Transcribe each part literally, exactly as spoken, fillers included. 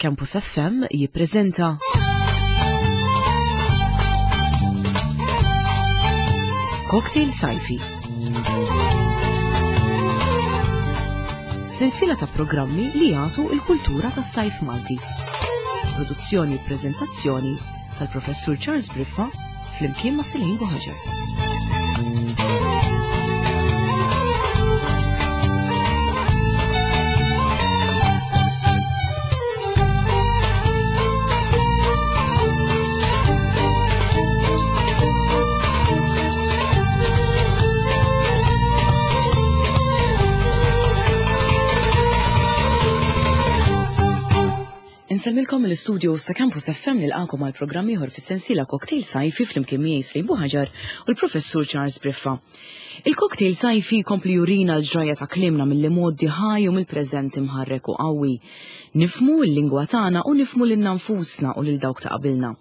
Campus F M jippreżenta Cocktail Sajfi. Sensiela ta' programmi li jagħtu l-kultura tas-sajf Malti. Produzzjoni u preżentazzjoni tal-Professur Charles Briffa flimkien ma' Celine Buhagiar. Insellmilkom mill-istudio sa Campus F M nilqakom għal programm ieħor fis-sensiela Cocktail Sajfi flimkien miegħi Celine Buhagiar u l-Professur Charles Briffa. Il-Cocktail Sajfi jkompli jurina l-ġrajja ta' kliemna mill-imgħoddi ħaj u mill-preżent imħarrek u qawwi. Nifhmu l-lingwa tagħna u nifhmu lilna nfusna u lil dawk ta' qabilna.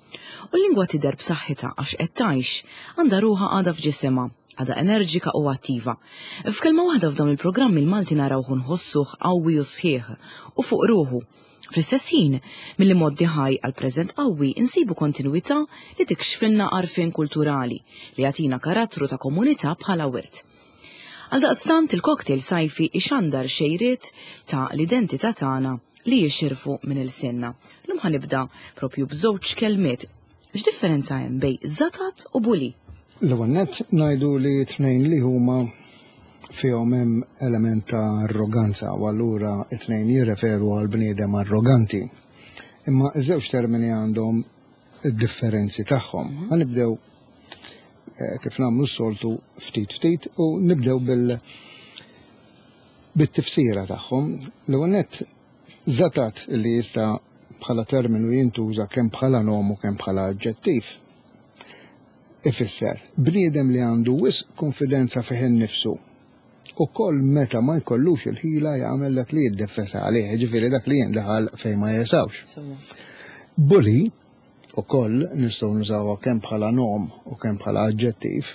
U l-lingwa tidher b'saħħitha għax qed tgħix, għandha ruħha għadha f'ġisimha, għadha enerġika u attiva. F'kelma waħda f'dawn il-programmi l-Malti narawh nħossuh qawwi u sħiħ u fuq ruħu. Fl-istess ħin, milli moddi ħaj għal preżent qawwi insibu kontinwità li tikxfilna għarfien kulturali li jagħtina karattru ta' komunità bħala wirt. Għaldaqstant il-cocktail sajfi ixandar xejriet ta' l-identità tagħna li jixirfu minn ilsienna. Lum ħanibda propju b'żewġ kelmiet. X'differenza hemm bejn żatat u buli? L-ewwel nett ngħidu li tnejn li huma fihom hemm element ta' arroganza u allura it-tnejn jirreferu għal bniedem arroganti. Imma iż-żewġ termini għandhom id-differenzi tagħhom. Mhm. Ħanibdew, eh, kif nagħmlu s-soltu ftit ftit u nibdew bil-, bit-tifsira tagħhom. L-ewwel nett żatat li jista' bħala terminu jintuża kemm bħala nom u kemm bħala aġġettiv. Ifisser bniedem li għandu wisq konfidenza fih innifsu u koll meta ma jkollux il-ħila jagħmel dak li jiddefesa għalih, jiġifieri dak li jindaħal fejn ma jesawx. Sewwa. Bully ukoll nistgħu nużawha kemm bħala nom u kemm bħala aġġettiv,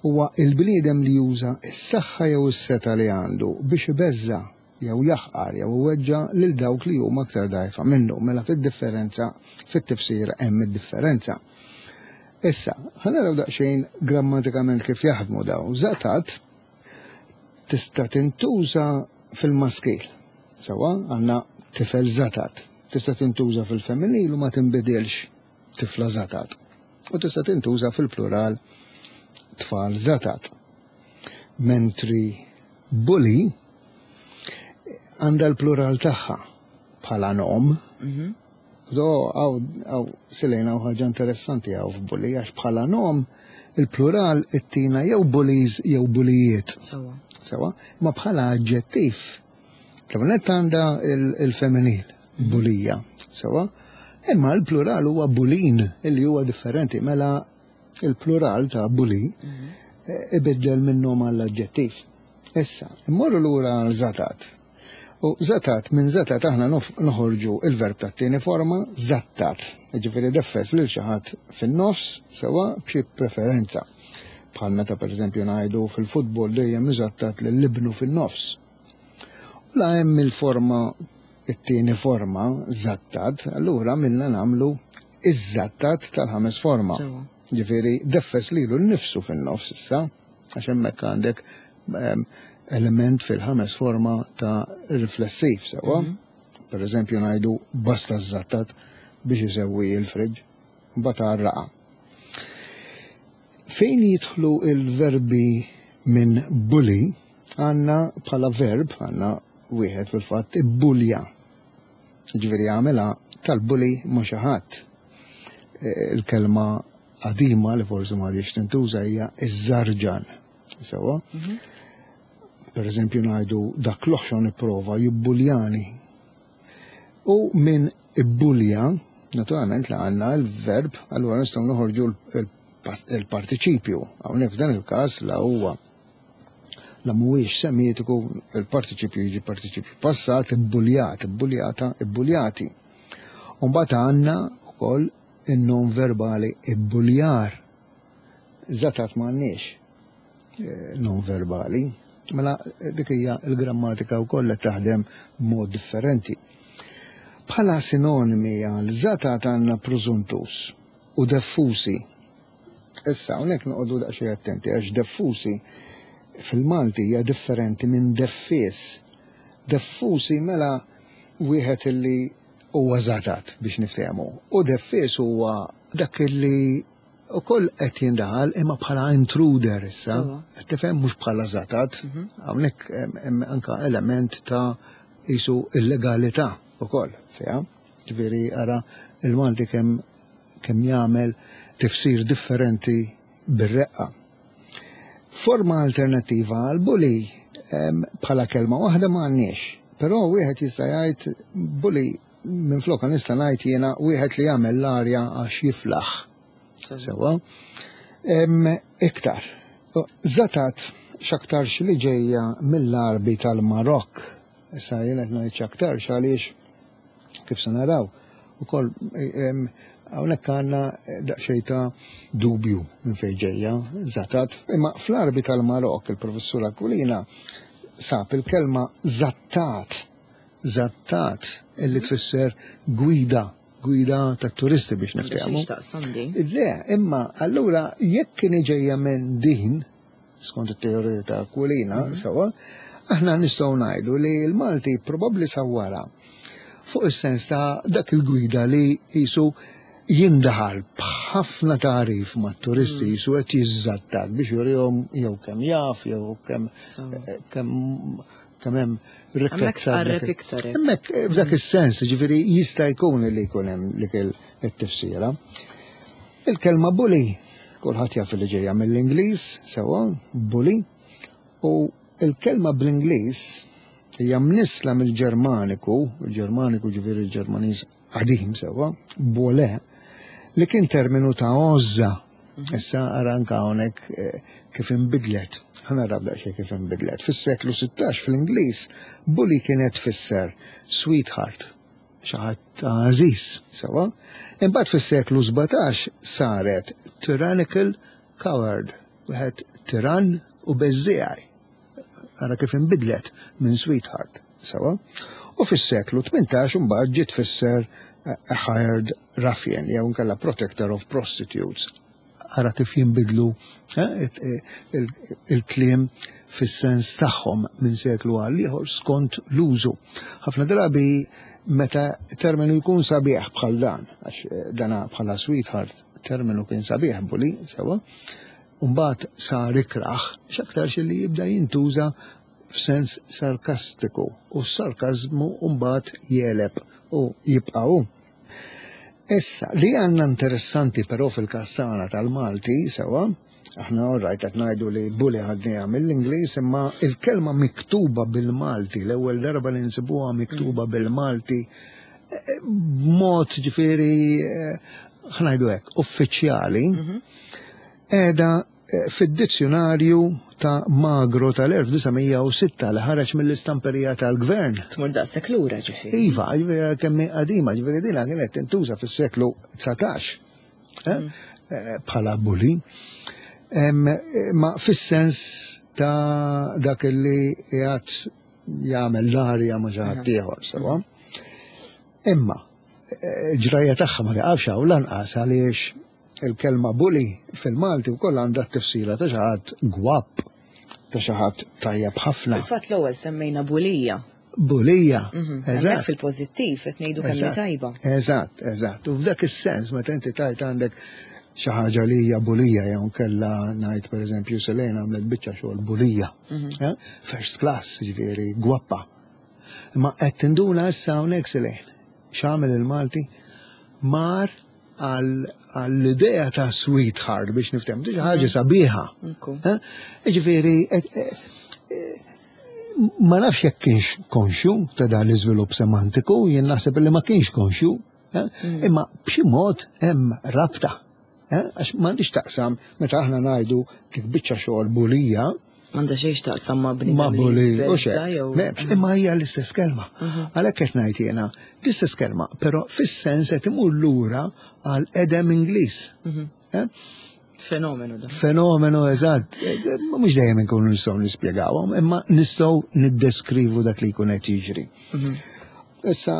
huwa il-bniedem li juża s-saħħa jew is-seta li għandu biex ibeżża' jew jaħqar jew iweġġa' lil dawk li huma aktar dgħajfa minnu. Mela fid-differenza, fit-tifsir hemm id-differenza. Issa, ħa naraw daqsxejn grammatikament kif jaħdmu dawn. Żatat tista' tintuża fil-maskil. Sewwa, għandna tifel żatat. Tista' tintuża fil-femminil u ma tinbidilx tifla żatat. U tista' tintuża fil-plural tfal żatat. Mentri bully għandha l-plural tagħha bħala nom. Mhm. Do, għaw, għaw, silejna għaw ħaġa interessanti għaw f'bully, għax bħala nom il-plural ittina jew bullies jew bulijiet. Sewwa. Sewwa, ma bħala aġġettiv, l-ewwel għandha il-, il-femminil, bulija, sewwa, imma l-plural huwa bulin, illi huwa differenti, mela il-plural ta' bully Mhm. eh, ibiddel minn nom għall-aġġettiv. Issa, immorru lura għal żatat. U żatat, minn żatat aħna nof-, noħorġu il-verb tat-tieni forma, żattat. Jiġifieri deffes lil xi ħadd fin-nofs, sewwa b'xi preferenza. Bħal meta pereżempju ngħidu fil-futbol dejjem iżattat lil ibnu fin-nofs. U la hemm il-forma, it-tieni forma, żattat, allura minna nagħmlu iż-żattat tal-ħames forma. Sewwa. Jiġifieri deffes lilu nnifsu fin-nofs issa, għax hemmhekk għandek, ehm, element fil-ħames forma ta' riflessiv, sewwa. Mhm. Per eżempju ngħidu basta żattat biex isewwi il-friġġ, mbagħad għarraqa. Fejn jidħlu il-verbi minn bully, għandna bħala verb, għandna wieħed fil-fatt ibbulja. Ġifieri għamela tal-bully ma' xi ħadd. E, il-kelma qadima li forsi ma għadix tintuża hija iż-żarġan. Sewwa? Mhm. Per eżempju ngħidu dak l-oħxon ipprova jibbuljani. U minn ibbulja, naturalment la għandna l-verb, allura nistgħu noħorġu l-, il-partiċipju. Hawnhekk f'dan il-każ la huwa la mhuwiex semitiku, il-partiċipju jiġi partiċipju passat, ibbuljat, ibbuljata, ibbuljati. U mbagħad għandna wkoll in-nom verbali ibbuljar. Żatat m'għandniex, eh, nom verbali. Mela dik hija l-grammatika wkoll qed taħdem b'mod differenti. Bħala sinonimi għal żatat għandna prużuntus u deffusi. Issa, hawnhekk noqogħdu daqsxejn attenti għax deffusi fil-Malti hija differenti minn deffies. Deffusi mela wieħed illi huwa żatat biex niftehmu. U deffies huwa dak illi ukoll qed jindaħal imma bħala intruder issa. Sewwa. Qed tifhem mhux bħala żatat. Hawnhekk hemm hemm anka element ta' jisu illegalità ukoll fiha. Ġifieri ara il-Malti kemm kemm jagħmel tifsir differenti bir-reqqa. Forma alternattiva għal bully em, bħala kelma waħda ma għandniex. Però wieħed jista' jgħid bully minn floka nista' ngħid jiena wieħed li jagħmel l-arja għax jiflaħ. Sewwa. Em, Iktar. Zatat x'aktarx li ġejja mill-Għarbi tal-Marokk. Issa jien qed ngħid x'aktarx għaliex kif se naraw ukoll em, hawnhekk għandna daqsxejn ta' dubju minn fejn ġejja zatat. Imma fl-Għarbi tal-Marokk il-professur Aquilina sab il-kelma zattat, zattat illi tfisser gwida, gwida tat turisti biex niftehmu. X'taqsam din? Le, imma allura jekk kien ġejja minn din, skont it-teorija ta' Aquilina, sewwa, aħna nistgħu ngħidu li l-Malti probabbli sawwara fuq is-sens ta' dak il-gwida li jisu jindaħal b'ħafna tarif mat-turisti jisu qed jiżżattak biex jurihom jew kemm jaf jew kemm Sewwa. kemm kemm hemm Hemmhekk rikkezza. tqarreb f'dak- iktar hekk. Hemmhekk eh, f'dak is-sens, ġifieri jista' jkun li jkun hemm dik il-tifsira. Il-kelma bully, kulħadd jaf li ġejja mill-Ingliż, sewwa, bully, u il-kelma bl-Ingliż hija mnisla mill-Ġermaniku, il-Ġermaniku ġifieri il-Ġermaniż qadim sewwa, bole, li kien terminu ta' għożża. Issa ara anka hawnhekk eh, kif inbidlet. Ħa naraw daqsxejn kif inbidlet. Fis-seklu sittax fl-Ingliż, bully kienet tfisser sweetheart, xi ħadd għażiż, sewwa. Imbagħad fis-seklu sbatax saret tyrannical coward, wieħed tiran u beżżiegħi. Ara kif inbidlet minn sweetheart, sewwa. U fis-seklu tmintax imbagħad ġiet tfisser eh, a hired ruffian jew inkella protector of prostitutes. Ara kif jinbidlu eh, it- eh, il- il-kliem fis-sens tagħhom minn seklu għal ieħor skont l-użu. Ħafna drabi meta terminu jkun sabiħ bħal dan, għax eh, dana bħala sweetheart terminu kien sabiħ bully, sewwa, Mbagħad sar ikraħ, x'aktarx li jibda jintuża f'sens sarkastiku u s-sarkazmu mbagħad jeleb u jibqa' hu. Issa, li għandna interessanti però fil-każ tagħna tal-Malti, sewwa, aħna orrajt qed ngħidu li bully ħadniha mill-Ingliż, imma il-kelma miktuba bil-Malti, l-ewwel darba li nsibuha miktuba bil-Malti, eh, b'mod ġifieri, eh, ħa ngħidu hekk, uffiċjali, qiegħda eh, fid-dizzjonarju ta' Magro tal-elf disa' mija u sitta li ħareġ mill-istamperija tal-gvern. Tmur daqshekk lura ġifieri. Iva, ġifieri kemm hi qadima, ġifieri dina kienet tintuża fis-seklu dsatax eh, eh, bħala bully. Em, eh, Ma fis-sens ta' dak li qiegħed jagħmel l-arja ma' xi ħadd ieħor, sewwa. Imma eh, ġrajja tagħha ma taqafx hawn lanqas għaliex il-kelma bully fil-Malti wkoll għandha t-tifsira ta' xi ħadd gwapp, ta' xi ħadd tajjeb ħafna. Fil-fatt l-ewwel semmejna bulija. Bulija, Hemmhekk eżatt. fil-pożittiv qed ngħidu kemm hi Eżatt. tajba. Eżatt, eżatt. U f'dak is-sens meta inti tajt għandek xi ħaġa li hija bulija jew kella ngħid pereżempju Selena għamlet biċċa xogħol bulija. Eh? First class, ġifieri gwappa. Imma qed tinduna issa hawnhekk Selena. X'għamel il-Malti? Mar għall-idea ta' sweetheart biex nifhem, xi ħaġa sabiħa. Ekku. Eh? Ġifieri, et- eh, eh, ma nafx jekk kienx konxju ta' dan l-iżvilupp semantiku, jien naħseb li ma kienx konxju, eh? Imma b'xi mod hemm rabta. eh? Għax m'għandix taqsam meta aħna ngħidu dik biċċa xogħol bulija M'għandha xejn x'taqsam ma' bniedem ma' li bully u jbeżża' xejn. jew M'hemmx, imma hija l-istess kelma. Għalhekk qed ngħid jiena l-istess kelma, però fis-sens qed imur lura għal edem Ingliż. Eh? Fenomenu da. Fenomenu eżatt. Eh, Mhux dejjem inkunu nistgħu nispjegawhom, imma nistgħu niddeskrivu dak li jkun qed jiġri. Issa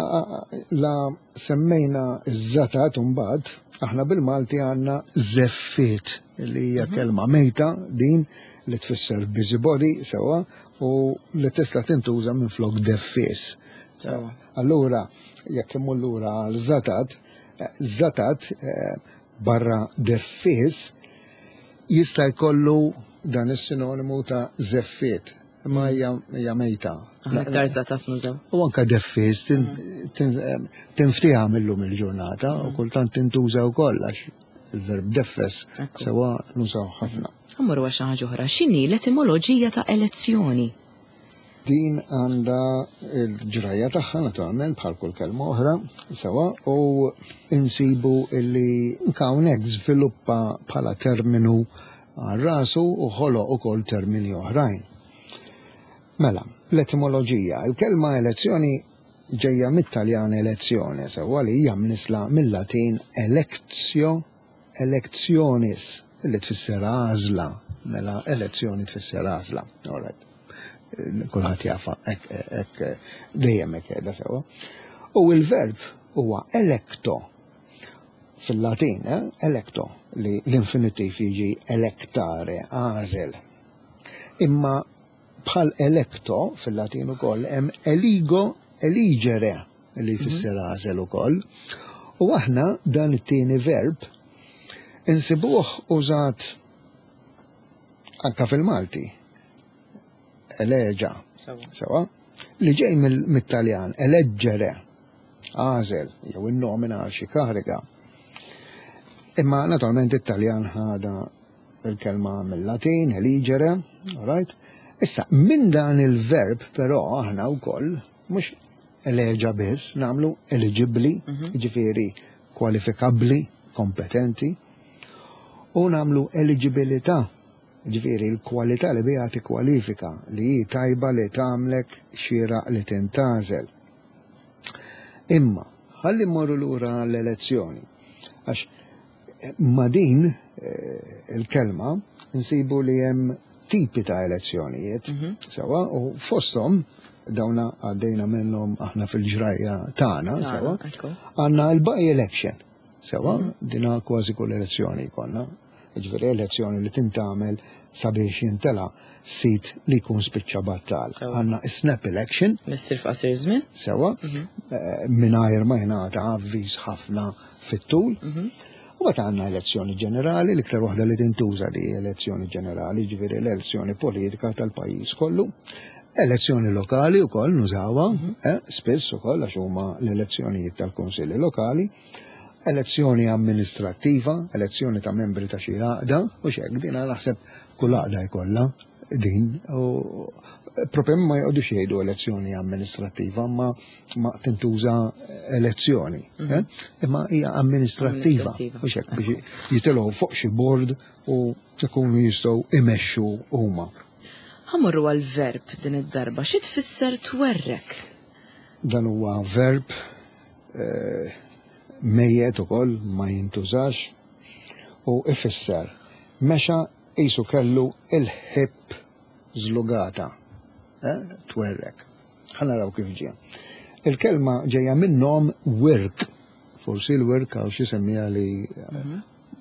la semmejna ż-żatat mbagħad, aħna bil-Malti għandna żeffiet, li hija kelma mejta din li tfisser busybody, sewwa, u li tista' tintuża minn flok deffis. Sewwa. Allura, jekk immur lura għal żatat, żatat barra deffis jista' jkollu dan is-sinonimu ta' żeffiet, imma hija mejta. Aħna iktar żatat nużaw. U anka deffis tinftiha millum il-ġurnata u kultant tintuża wkoll għax il-verb deffes sewwa nużaw ħafna. Mmorru għal xi ħaġa oħra, x'inhi l-etimoloġija ta' elezzjoni? Din għandha l-ġrajja tagħha naturalment bħal kull kelma oħra, sewwa, u insibu illi hawnhekk żviluppa bħala terminu għal rasu u ħoloq ukoll termini oħrajn. Mela, l-etimoloġija, il-kelma elezzjoni ġejja mit-Taljan elezzjone, sewwa, li hija mnisla mill-Latin electio, electionis, li tfisser għażla, mela elezzjoni tfisser għażla. All right. Kulħadd jafa, hekk dejjem hekk qiegħda sewwa. U l-verb huwa electo fil-Latin, eh? Electo, li l-infinitiv jiġi electare, għażel. Imma bħal electo fil-Latin ukoll hemm eligo, eligere, li jfisser għażel ukoll. U aħna dan it-tieni verb insibuh użat anka fil-Malti. Eleġa, sewwa, li ġej mit-Taljan, eleggere, għażel, jew innomina għal xi kariga. Imma naturalment it-Taljan ħada il-kelma mill-Latin, eligere, all right? Issa, minn dan il-verb però aħna wkoll mhux eleġa biss, nagħmlu eligibli, jiġifieri kwalifikabbli, kompetenti, u nagħmlu eligibilità, jiġifieri l-kwalità li biha tikkwalifika, li hi tajba li tagħmlek xieraq li tintgħażel. Imma, ħalli mmorru lura l-elezzjoni, għax ma din il-kelma nsibu li hemm tipi ta' elezzjonijiet, sewwa, u fosthom dawna għaddejna minnhom aħna fil-ġrajja tagħna, sewwa, għandna l-by election, sewwa, dina kważi kull elezzjoni jkollna, jiġifieri elezzjoni li tintgħamel sabiex jintela sit li jkun spiċċa battal. Għandna snap election. Missir f'qasir żmien. Sewwa, mingħajr ma jingħata avviż ħafna fit-tul. U mbagħad għandna elezzjoni ġenerali, l-iktar waħda li tintuża di elezzjoni ġenerali, ġifieri l-elezzjoni politika tal-pajjiż kollu. Elezzjoni lokali wkoll nużawha, spiss ukoll għax huma l-elezzjonijiet tal-kunsilli lokali. Elezzjoni amministrattiva, elezzjoni ta' membri ta' xi għaqda, u x'hekk din naħseb kull għaqda jkollha din, u propju ma jqogħdux jgħidu elezzjoni amministrattiva, ma ma tintuża elezzjoni, imma hija amministrattiva, u x'hekk biex jitilgħu fuq xi board u jkunu jistgħu imexxu huma. Ħa mmorru għal-verb din id-darba, xi tfisser twerrek? Dan huwa verb mejjet ukoll ma jintużax u ifisser mexa qisu kellu il-ħib żlugata, twerrek. Ħa naraw kif ġie. Il-kelma ġejja minn nom wirk, forsi l-wirk għaw xi semmija li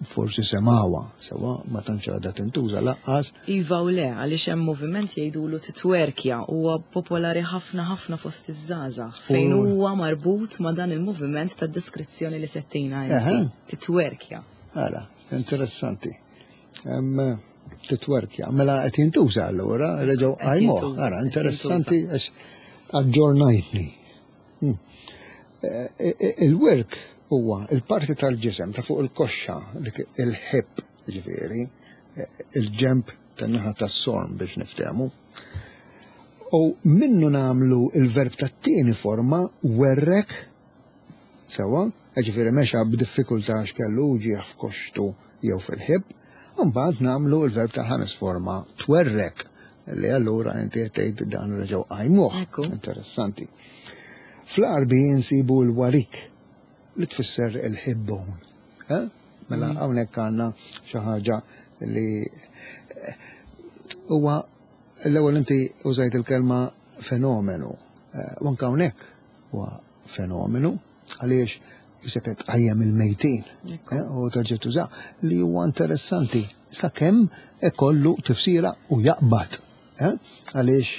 forsi semawa, sewwa ma tantx għadha tintuża laqqas. Iva u le, għaliex hemm moviment jgħidulu titwerkja, huwa popolari ħafna ħafna fost iż-żgħażagħ, fejn huwa marbut ma' dan il-moviment ta' deskrizzjoni li settina inti. Titwerkja. Ara, interessanti. Titwerkja, mela qed jintuża allura, reġgħu qajmuh. Ara, interessanti għax aġġornajtni. Il-wirk huwa il-parti tal-ġisem ta' fuq il-koxxa, dik il-ħib, ġifieri, il-ġemp tan-naħa tas-sorm biex niftehmu. U minnu nagħmlu il-verb tat-tieni forma werrek, sewwa, ġifieri mexa b'diffikultà għax kellu uġigħ f'koxxtu jew fil-ħib, u mbagħad nagħmlu il-verb tal-ħames forma twerrek, li allura inti qed tgħid dan reġgħu qajmuh. Interessanti. Fl-Għarbi insibu l-warik li tfisser il-hip bone. Mela hawnhekk għandna xi ħaġa li huwa l-ewwel inti użajt il-kelma fenomenu. U anke hawnhekk huwa fenomenu, għaliex jisek qed tqajjem il-mejtin eh, u terġa' tuża li huwa interessanti sakemm ikollu tifsira u jaqbad. eh, Għaliex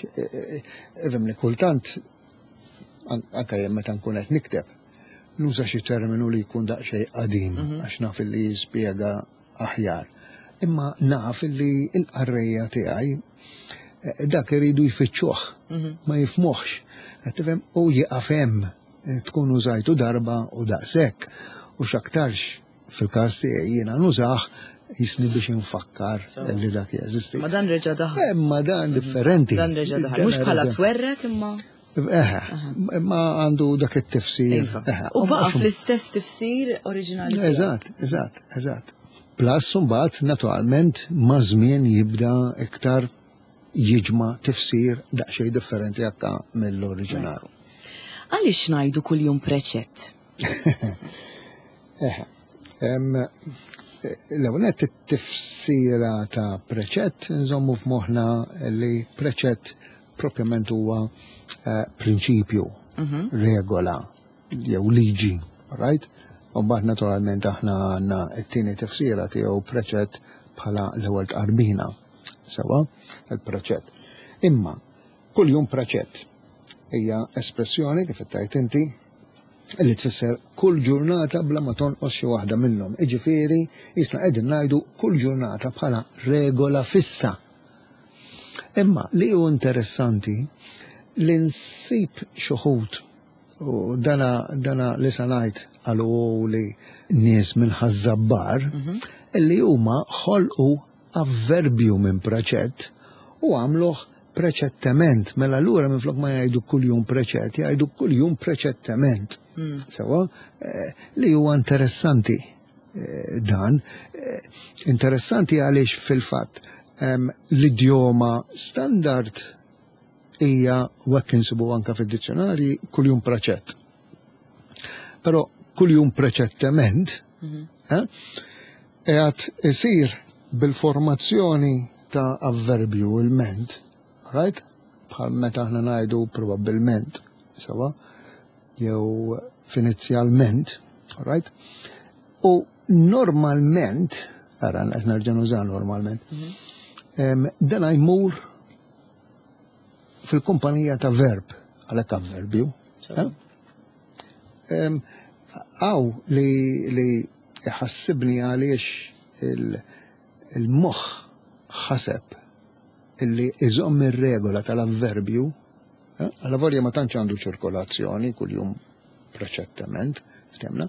ifhimni kultant anke jien meta nkun qed nikteb nuża xi terminu li jkun daqsxejn qadim għax naf li jispjega aħjar. Imma naf li l-qarrejja tiegħi eh, dak iridu jfittxuh, ma jifhmuhx. Qed tifhem u jieqaf hemm eh, tkun użajtu darba u daqshekk. U x'aktarx fil-każ tiegħi jiena nużah jisni biex infakkar li dak jeżisti. Ma dan reġa' daħal. Imma dan differenti. Dan reġa' daħal. Mhux bħala twerrek imma. Eħe, imma għandu dak it-tifsir. Iva. Eħe, U baqa' mhux- fl-istess tifsir oriġinali. tiegħu. Eżatt, eżatt, eżatt. Plus, mbagħad naturalment ma' żmien jibda iktar jiġma' tifsir daqsxejn differenti akka mill-oriġinal. Għaliex ngħidu kuljum preċett? Eħe. Em, L-ewwel nett it-tifsira ta' preċett nżommu f'moħħna li preċett propjament huwa eh, prinċipju, regola jew liġi, right? U mbagħad naturalment aħna għandna t-tieni tifsira tiegħu preċett bħala l-ewwel tqarbina. Sewa, il-preċett. Imma kuljum preċett hija espressjoni kif tajt inti li tfisser kull ġurnata bla ma tonqos xi waħda minnhom. Iġifieri jisna qegħdin ngħidu kull ġurnata bħala regola fissa. Imma li hu interessanti li nsib xi wħud u dana, dana li sa ngħid għalu li nies minn Ħaż-Żabbar illi huma ħolqu avverbju minn preċett u għamluh preċettement, mela allura minflok ma jgħidu kuljum preċett, jgħidu kuljum preċettement. Sewa, eh, li huwa interessanti eh, dan. Eh, Interessanti għaliex fil-fatt em, l-idjoma standard hija u hekk insibu anka fid-dizzjonarji kuljum preċett. Però kuljum preċettement eh, qiegħed isir bil-formazzjoni ta' avverbju il-ment, right? Bħal meta aħna ngħidu probabbilment, sewa, jew finizjalment, right? U normalment, ara qed nerġa' nuża normalment, em, dan jmur fil-kumpanija ta' verb, għalhekk avverbju. eh? Em, Għaw li li ħassibni għaliex il- il-moħħ ħaseb illi iżomm ir-regola tal-avverbju, eh, għalavolja ma tantx għandu ċirkolazzjoni kuljum preċettement, ftemna,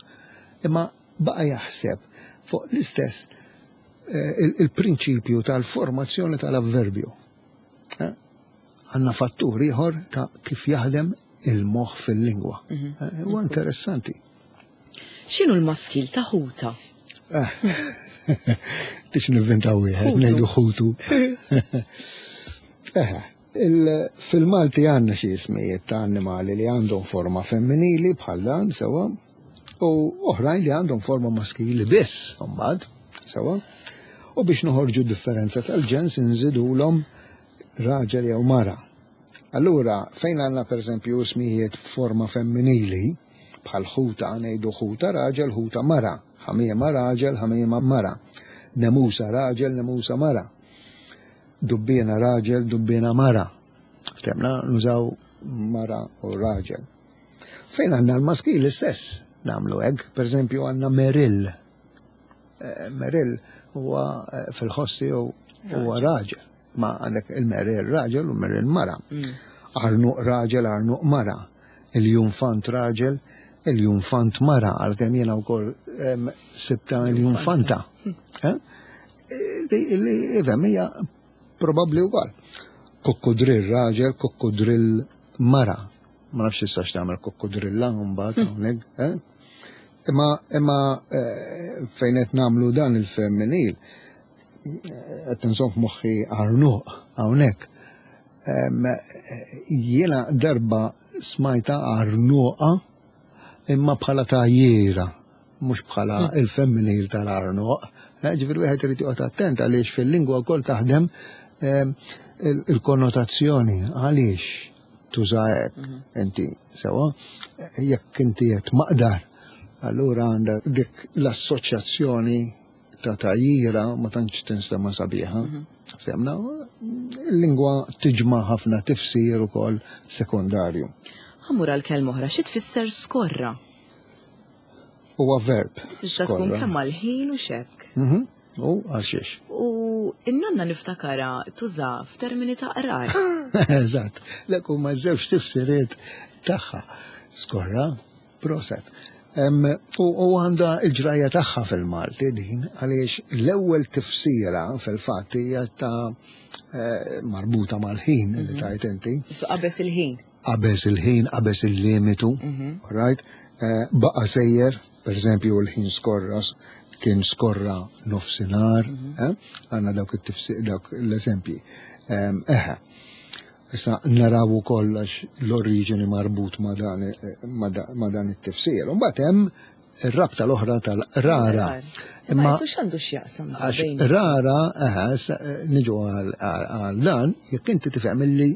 imma baqa jaħseb fuq l-istess eh, il- il-prinċipju tal-formazzjoni tal-avverbju. Eh, Għanna fattur ieħor ta' kif jaħdem il-moħħ fil-lingwa. Eh, Huwa interessanti. X'inhu l-maskil ta' ħuta? Tix nivvintaw wieħed, Ħutu. ngħidu ħutu. Eħe, il- Fil-Malti għandna xi ismijiet ta' annimali li għandhom forma femminili bħal dan sewa, u oħrajn li għandhom forma maskili biss, mbagħad, sewa. U biex noħorġu differenza tal-ġens nżidulhom raġel jew mara. Allura, fejn għandna per eżempju ismijiet forma femminili, bħal ħuta ngħidu ħuta raġel, ħuta mara, ħamiema raġel, ħamiema mara, nemusa raġel, nemusa mara, dubbiena raġel, dubbiena mara. Ftemna nużaw mara u raġel. Fejn għandna l-maskili stess nagħmlu hekk, per eżempju għandna Meril. Eh, Meril huwa eh, fil-ħoss tiegħu huwa raġel, ma għandek il-Meril raġel u Meril mara. Arnuq raġel, arnuq mara. Il-jumfant raġel, il-jumfant mara, għalkemm jiena wkoll em, sibta il-jumfanta. Eh? Li, li ifhem hija probabbli wkoll. Kokkudrill raġel, kokkudrill mara. Ma nafx tistax tagħmel kokkudrilla mbagħad hawnhekk, eh? Imma imma eh, fejn qed nagħmlu dan il-femminil, eh, qed inżomm f'moħħi arnuq hawnhekk. Em, eh, Jiena darba smajta arnuqa imma bħala tajjera, mhux bħala il-femminil tal-arnuq. Eh, Ġifieri wieħed irid joqgħod attent għaliex fil-lingwa wkoll taħdem em, il- il-konnotazzjoni għaliex Tuża hekk inti sewwa, jekk inti qed maqdar, allura għandha dik l-assoċjazzjoni ta' tgħajjira, ma tantx tinstema' sabiħa. Fhimna, il-lingwa tiġma' ħafna tifsir ukoll sekondarju. Ħa mmur għal kelma oħra, xi tfisser skorra? Huwa verb. Tista' tkun Skorra. kemm għal-ħin u xek. Mhm. U għal xiex. U in-nanna niftakara tuża f'termini ta' qrar. Eżatt, lek huma żewġ tifsiriet tagħha. Skorra, proset. Em, U u għandha il-ġrajja tagħha fil-Malti din, għaliex l-ewwel tifsira fil-fatt hija ta' eh, marbuta mal-ħin li tajt inti. Su qabeż il-ħin. Qabeż il-ħin, qabeż il-limitu, right? Eh, baqa sejjer, per eżempju, l-ħin skorra, kien skorra nofsinhar, eh? Għandna dawk it-tifsir, dawk l-eżempji. Em, Eħe, issa naraw ukoll għax l-oriġini marbut ma' dan, eh, ma' da- ma' dan it-tifsir. Mbagħad hemm ir-rabta l-oħra tal-rara. Imma jisu x'għandu x'jaqsam Għax bejn- rara, eħe, issa, eh, niġu għal għal dan, jekk inti tifhem illi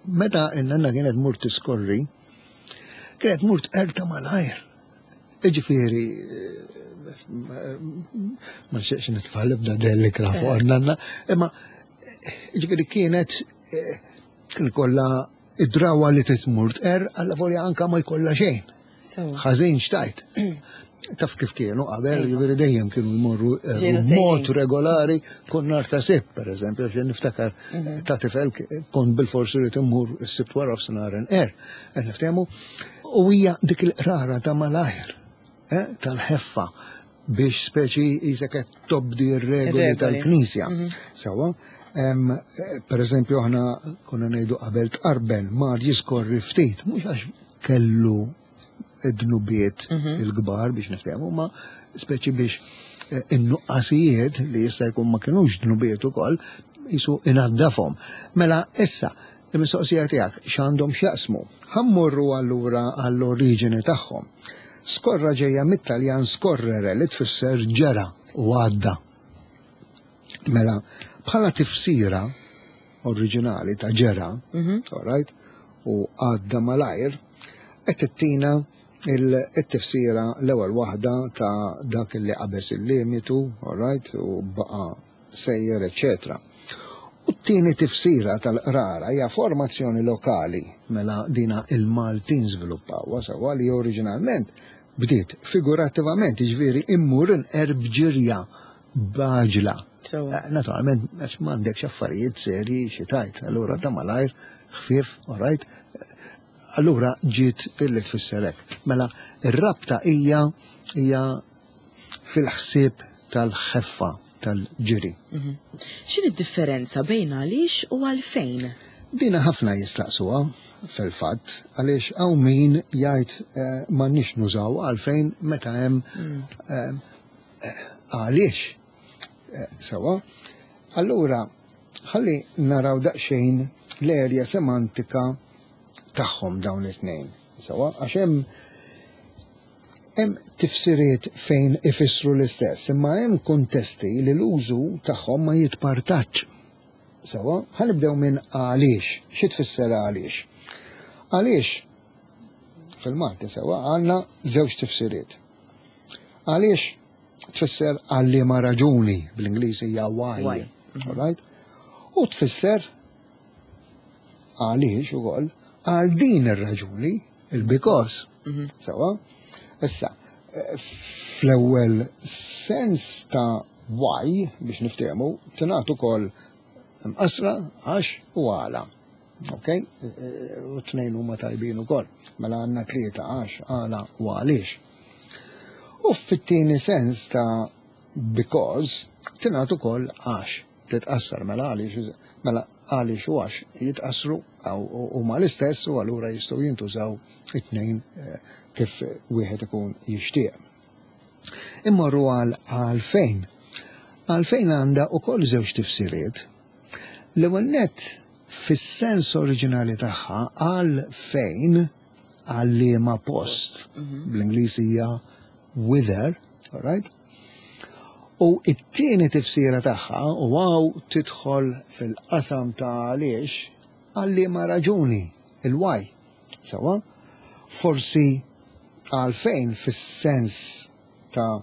meta n-nanna kienet mur tiskorri, kienet mur tqerta malajr. Iġifieri, eh, ma nxieqx nitfa' l-ebda dellikra fuq n-nanna, imma ġifieri kienet eh, kien kollha id-drawa li titmur tqer, alla volja anka ma jkollha xejn. Sewa. Ħażin xtajt. Taf kif kienu qabel, ġifieri dejjem kienu jmorru eh, Ġenu mod sejrin. Regolari kun nar ta' Sibt, per eżempju, għax niftakar ta' tifel kont bil-forsi li timmur is-Sibt wara f'sinar er. Qed niftehmu, u hija dik il-qrara ta' malajr, eh, tal-ħeffa biex speċi jisek qed tobdi r-regoli Ir-regoli. Tal-Knisja. Sewwa, em, eh, per eżempju, aħna konna ngħidu qabel tqarben mar jiskorri ftit, mhux għax kellu id-dnubiet il-kbar biex niftehmu, ma speċi biex eh, in-nuqqasijiet li jista' jkun ma kinux dnubiet ukoll jisu inaddafhom. Mela issa, il-mistoqsija tiegħek x'għandhom x'jaqsmu. Ħa mmorru allura għall-oriġini tagħhom. Skorra ġejja mit-Taljan scorrere, li tfisser ġera u għadda. Mela, bħala tifsira oriġinali ta' ġera, all right, u għadda malajr, qed tittina il-tifsira l-ewwel waħda ta' dak li qabeż il-limitu, all right, u baqa' sejjer, eccetera. U t-tieni tifsira tal-qrara hija formazzjoni lokali, mela dina il-Maltin żviluppawha sewwa, li oriġinalment bdiet figurattivament, jiġifieri immur inqer b'ġirja b'għaġla. Sewwa. Eh, Naturalment, għax m'għandekx affarijiet serji xi tajt, allura ta' malajr, ħfief, all right, allura ġiet illi tfisser hekk. Mela, ir-rabta hija hija fil-ħsieb tal-ħeffa tal-ġiri. X'inhi d-differenza bejn għaliex u għalfejn? Dina ħafna jistaqsuha fil-fatt, għaliex hawn min jgħid eh, m'għandniex nużaw għalfejn meta hemm eh, eh, għaliex. Eh, Sewwa. Allura, ħalli naraw daqsxejn l-erja semantika tagħhom dawn it-tnejn. Sewwa, għax hemm hemm tifsiriet fejn ifissru l-istess, imma hemm kontesti li l-użu tagħhom ma jitpartaċ. Sewwa, ħa nibdew minn għaliex. Xi tfisser għaliex? Għaliex fil-Malti, sewwa, għandna żewġ tifsiriet. Għaliex tfisser għal liema raġuni, bl-Ingliż hija why. Why. All right? U tfisser għaliex ukoll għal din ir-raġuni, il-because. Sewwa? Issa, eh, fl-ewwel sens ta' why, biex niftehmu, tingħad ukoll mqasra għax u għala. Ok? Eh, U tnejn huma tajbin ukoll. Mela għandna tlieta: għax, għala u għaliex. U fit-tieni sens ta' because tingħad ukoll għax titqassar, mela għaliex, mela għaliex u għax jitqassru huma l-istess u allura jistgħu jintużaw it-tnejn eh, kif wieħed ikun jixtieq. Immorru għal għalfejn. Għalfejn għandha ukoll żewġ tifsiriet. L-ewwel nett, fis-sens oriġinali tagħha, għal fejn, għal liema post, bl-Ingliż hija whither, all right? U it-tieni tifsira tagħha, u hawn tidħol fil-qasam ta' għaliex, għal liema raġuni, il-why. Sewwa, forsi għalfejn fis-sens ta'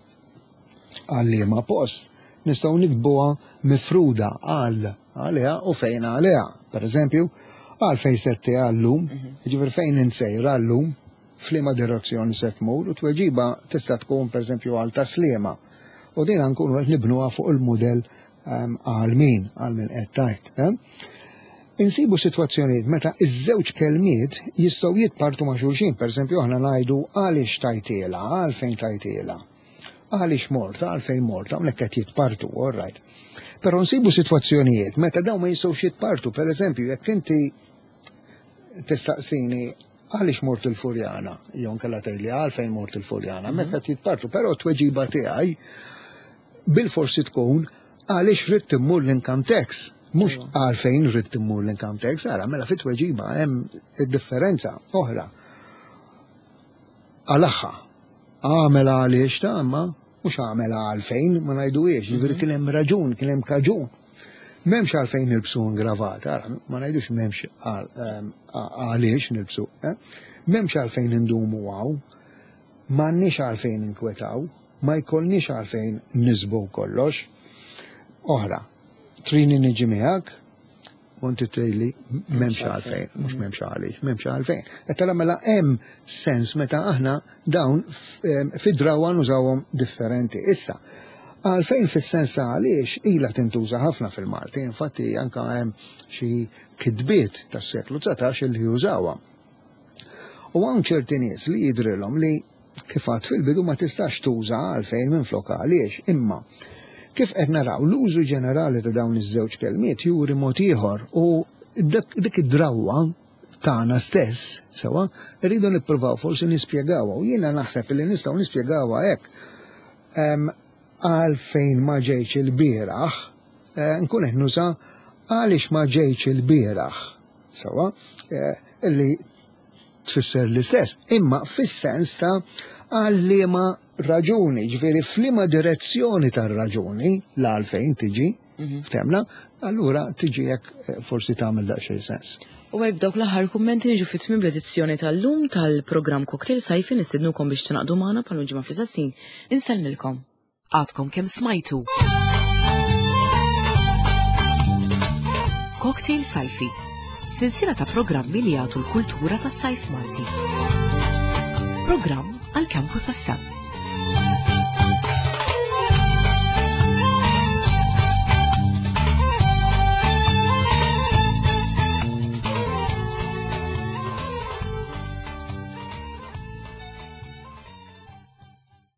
għal liema post nistgħu niktbuha mifruda għal għaliha u fejn għaliha. Per eżempju, għalfejn setti għallum, ġifieri fejn insejra għallum, f'liema direzzjoni se tmur, u tweġiba tista' tkun per eżempju għal Tas-Sliema. U din nkunu qed nibnuha fuq il-mudell ehm, għal min, għal min qed tajt. Eh? Insibu sitwazzjonijiet meta iż-żewġ kelmiet jistgħu jitpartu ma' xulxin, per eżempju aħna ngħidu għaliex tajtiela, għalfejn tajtiela. Għaliex morta, għalfejn morta, hawnhekk qed jitpartu, all right. Però nsibu sitwazzjonijiet meta dawn ma jistgħux jitpartu, per eżempju, jekk inti tistaqsini għaliex mort il-Furjana, jew nkella tgħidli għalfejn mort il-Furjana, meta qed jitpartu, però t-tweġiba tiegħi bil-forsi tkun għaliex ridt immur l-income tax, mhux għalfejn ridt immur l-income tax, ara mela fit-tweġiba hemm id-differenza oħra. Għalaħħa, għamel għaliex ta' imma mhux għamel għalfejn ma ngħiduhiex, ġifieri kien hemm raġun, kien hemm kaġun. M'hemmx għalfejn nilbsu ingravata, ara, ma ngħidux m'hemmx għaliex nilbsu, eh? M'hemmx għalfejn indumu għaw, m'għandniex għalfejn inkwetaw, ma jkollniex għalfejn nisbu kollox. Oħra, trini niġi miegħek, u inti tgħidli m'hemmx għalfejn, mhux m'hemmx għaliex, m'hemmx għalfejn. Qed tara mela hemm sens meta aħna dawn fid-drawa nużawhom differenti. Issa, għalfejn fis-sens ta' għaliex ilha tintuża ħafna fil-Malti, infatti anka hemm xi kitbiet tas-seklu dsatax li jużawha. U hawn ċerti nies li jidrilhom li kif għad fil-bidu ma tistax tuża għalfejn minn flok għaliex, imma kif qed naraw l-użu ġenerali ta' dawn iż-żewġ kelmiet juri mod ieħor u dik id-drawwa tagħna stess, sewwa, rridu nippruvaw forsi nispjegawha u jiena naħseb li nistgħu nispjegawha hekk. Għalfejn ma ġejtx il-bieraħ, nkun qed nuża għaliex ma ġejtx il-bieraħ, sewwa, illi tfisser l-istess, imma fis-sens ta' għal liema raġuni, ġifieri f'liema direzzjoni tar-raġuni l-għalfejn tiġi, ftemna, allura tiġi hekk forsi tagħmel daqsxejn sens. U għajb dawk l-aħħar kummenti niġu fit tmiem l-edizzjoni tal-lum tal-programm Cocktail Sajfi nistednukom biex tingħaqdu magħna bħal ġimgħa fl-istess Insellmilkom. Għadkom kemm smajtu. Cocktail Sajfi, silsila ta' programmi li jagħtu l-kultura tas-sajf Malti. Programm għal Campus F M.